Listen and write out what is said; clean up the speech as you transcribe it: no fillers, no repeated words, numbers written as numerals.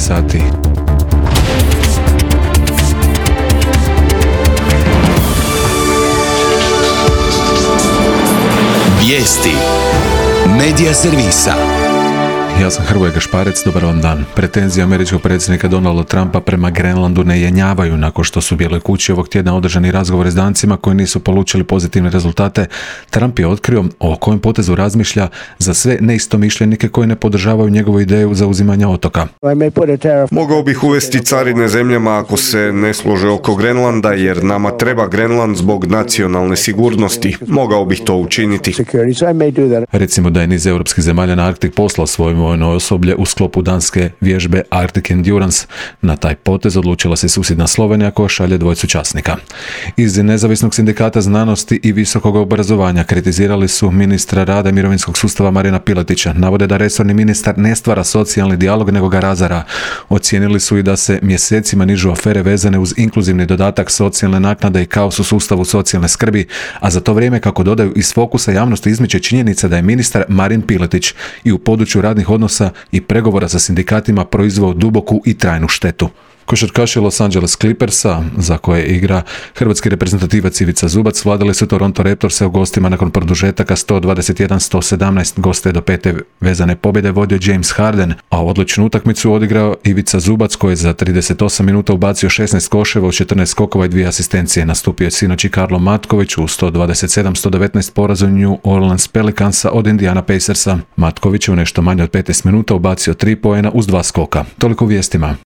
sati. Vijesti Medija servisa. Ja sam Hrvoje Gašparec, dobar vam dan. Pretenzije američkog predsjednika Donalda Trumpa prema Grenlandu ne jenjavaju nakon što su u Bijeloj kući ovog tjedna održani razgovori s Dancima koji nisu polučili pozitivne rezultate. Trump je otkrio o kojem potezu razmišlja za sve neistomišljenike koji ne podržavaju njegovu ideju zauzimanja otoka. Mogao bih uvesti carine zemljama ako se ne slože oko Grenlanda, jer nama treba Grenland zbog nacionalne sigurnosti. Mogao bih to učiniti. Recimo da je niz europskih zemalja na Arktik poslao svoje vojno osoblje u sklopu danske vježbe Arctic Endurance. Na taj potez odlučila se susjedna Slovenija koja šalje dvojicu časnika. Iz Nezavisnog sindikata znanosti i visokog obrazovanja kritizirali su ministra rada i mirovinskog sustava Marina Piletića. Navode da resorni ministar ne stvara socijalni dijalog nego ga razara. Ocijenili su i da se mjesecima nižu afere vezane uz inkluzivni dodatak, socijalne naknade i kaos u sustavu socijalne skrbi, a za to vrijeme, kako dodaju, iz fokusa javnosti izmiče činjenica da je ministar Marin Piletić i u području radnih odnosa i pregovora sa sindikatima proizveo duboku i trajnu štetu. Košarkaši Los Angeles Clippersa, za koje igra hrvatski reprezentativac Ivica Zubac, vladali su Toronto Raptorse u gostima nakon produžetaka 121-117. Goste do pete vezane pobjede vodio James Harden, a odličnu utakmicu odigrao Ivica Zubac koji je za 38 minuta ubacio 16 koševa u 14 skokova i 2 asistencije. Nastupio je sinoć i Karlo Matković u 127-119 porazu New Orleans Pelicansa od Indiana Pacersa. Matković je u nešto manje od 15 minuta ubacio 3 poena uz 2 skoka. Toliko u vijestima.